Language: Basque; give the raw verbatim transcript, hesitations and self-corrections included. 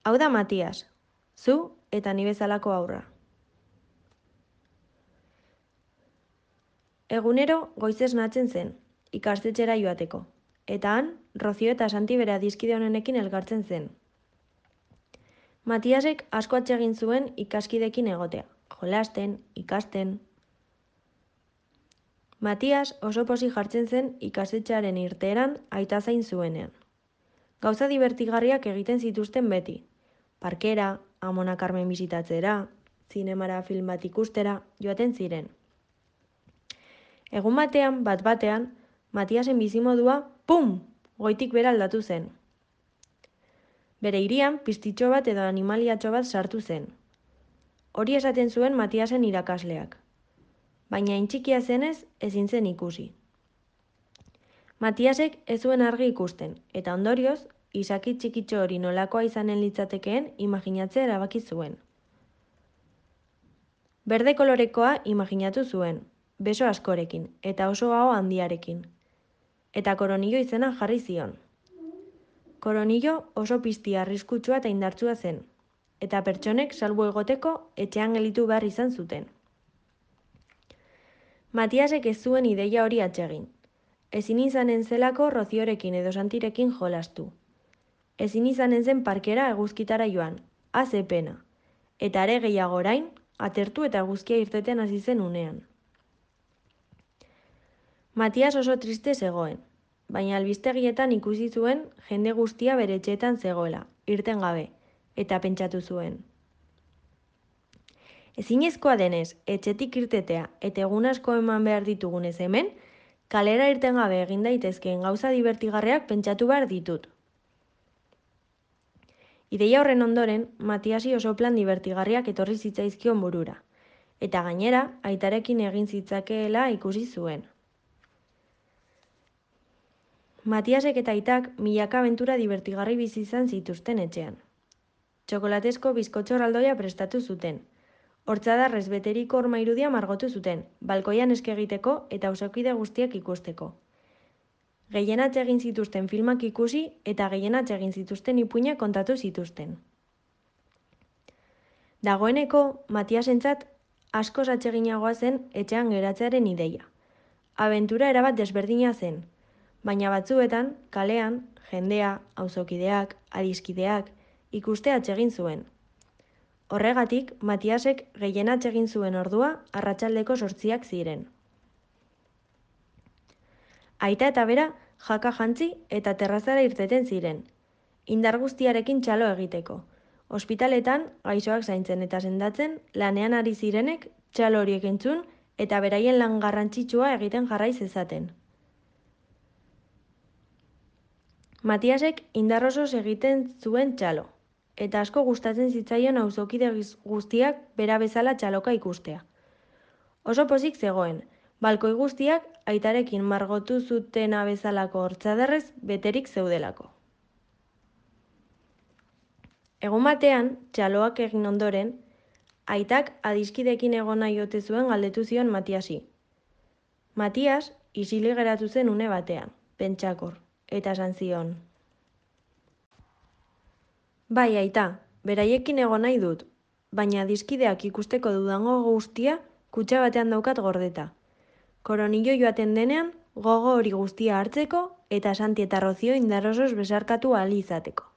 Hau da Matias, zu eta ni bezalako haurra. Egunero goizez natzen zen, ikastetxera joateko, eta han, Rozio eta Santi bere adiskide honenekin elkartzen zen. Matiasek asko atsegin zuen ikaskidekin egotea, jolasten, ikasten. Matias oso pozik jartzen zen ikastetxearen irteeran aita zain zuenean. Gauza divertigarriak egiten zituzten beti. Parkera, Amona Carmen bisitatzera, zinemara film bat ikustera, joaten ziren. Egun batean, bat batean, Matiasen bizimodua, pum, goitik bera aldatu zen. Bere hirian piztitxo bat edo animaliatxo bat sartu zen. Hori esaten zuen Matiasen irakasleak. Baina intxikia zenez ezin zen ikusi. Matiasek ez zuen argi ikusten, eta ondorioz, izaki txikitxo hori nolakoa izanen litzatekeen imaginatzea erabaki zuen. Berde kolorekoa imaginatu zuen, beso askorekin, eta oso aho handiarekin. Eta Koronilo izena jarri zion. Koronilo oso pizti arriskutsua eta indartsua zen, eta pertsonek salbu egoteko etxean gelitu behar izan zuten. Matiasek ez zuen ideia hori atsegin. Ezin izanen zelako Roziorekin edo Santirekin jolastu. Ezin izanen zen parkera eguzkitara joan, haze pena. Eta are gehiago orain, atertu eta eguzkia irteten hasi zen unean. Matias oso triste zegoen, baina albistegietan ikusi zuen jende guztia bere etxeetan zegoela, irten gabe, eta pentsatu zuen. Ezinezkoa denez, etxetik irtetea eta egun asko eman behar ditugunez hemen, kalera irten gabe egin daitezkeen gauza divertigarriak pentsatu behar ditut. Ideia horren ondoren, Matiasi oso plan divertigarriak etorri zitzaizkion burura, eta gainera, aitarekin egin zitzakeela ikusi zuen. Matiasek eta aitak milaka abentura divertigarri bizi izan zituzten etxean. Txokolatezko bizkotxo erraldoia prestatu zuten. Hortzadarrez beteriko horma irudia margotu zuten, balkoian eske egiteko eta auzokide guztiak ikusteko. Gehienatz egin zituzten filmak ikusi eta gehienatz egin zituzten ipuinak kontatu zituzten. Dagoeneko, Matiasentzat askoz atseginagoa zen etxean geratzearen ideia. Abentura erabat desberdina zen, baina batzuetan, kalean, jendea, auzokideak, adiskideak, ikuste atsegin zuen. Horregatik, Matiasek gehienatz egin zuen ordua arratsaldeko zortziak ziren. Aita eta bera jaka jantzi eta terrazara irteten ziren, indar guztiarekin txalo egiteko. Ospitaletan, gaixoak zaintzen eta sendatzen, lanean ari zirenek txalo horiek entzun eta beraien lan garrantzitsua egiten jarrai zezaten. Matiasek indar osoz egiten zuen txalo, eta asko gustatzen zitzaion auzokide guztiak bera bezala txaloka ikustea. Oso pozik zegoen, balkoi guztiak aitarekin margotu zutena bezalako hortzadarrez beterik zeudelako. Egun batean, txaloak egin ondoren, aitak adiskidekin egon nahi ote zuen galdetu zion Matiasi. Matias isilik geratu zen une batean, pentsakor, eta esan zion. Bai, aita, beraiekin egon nahi dut, baina adiskideak ikusteko dudango guztia kutxa batean daukat gordeta. Koronilo joaten denean, gogo hori guztia hartzeko eta Santi eta Rozio indar osoz besarkatu ahal izateko.